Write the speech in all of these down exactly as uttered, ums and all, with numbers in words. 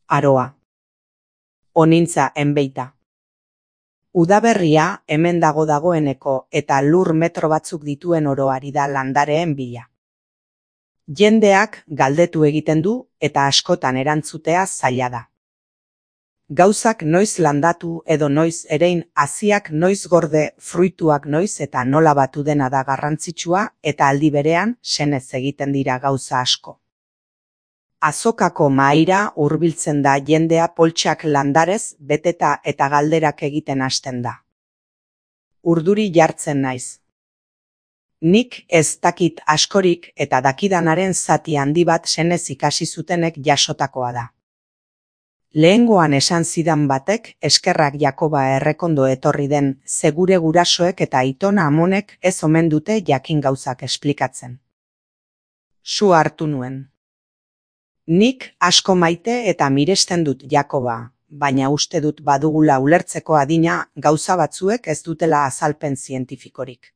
Aroa. Onintza enbeita. Udaberria hemen dago dagoeneko eta lur metro batzuk dituen oroari da landareen bila. Jendeak galdetu egiten du eta askotan erantzutea zaila da. Gauzak noiz landatu edo noiz erein, haziak noiz gorde, fruituak noiz eta nola batu dena da garrantzitsua eta aldi berean senez egiten dira gauza asko. Azokako mahaira hurbiltzen da jendea poltsak landarez beteta eta galderak egiten hasten da. Urduri jartzen naiz. Nik ez dakit askorik eta dakidanaren zati handi bat senez ikasi zutenek jasotakoa da. Lehengoan esan zidan batek eskerrak Jakoba errekondo etorri den, ze gure gurasoek eta aitona amonek ez omen dute jakin gauzak esplikatzen. Su hartu nuen. Nik asko maite eta miresten dut Jakoba, baina uste dut badugula ulertzeko adina gauza batzuek ez dutela azalpen zientifikorik.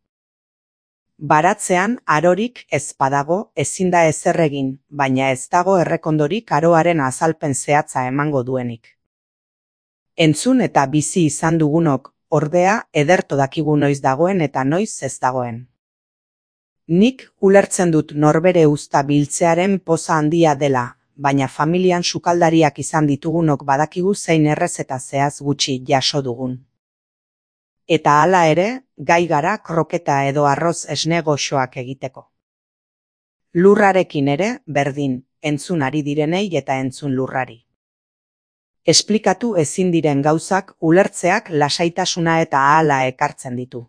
Baratzean arorik ez badago ezin da ezer egin, baina ez dago errekondorik aroaren azalpen zehatza emango duenik. Entzun eta bizi izan dugunok, ordea, ederto dakigu noiz dagoen eta noiz ez dagoen. Nik ulertzen dut norbere uzta biltzearen poza handia dela, baina familian sukaldariak izan ditugunok badakigu zein errez eta zehaz gutxi jaso dugun. Eta hala ere, gai gara kroketa edo arroz esne goxoak egiteko. Lurrarekin ere, berdin, entzun ari direnei eta entzun lurrari. Esplikatu ezin diren gauzak ulertzeak lasaitasuna eta ahala ekartzen ditu.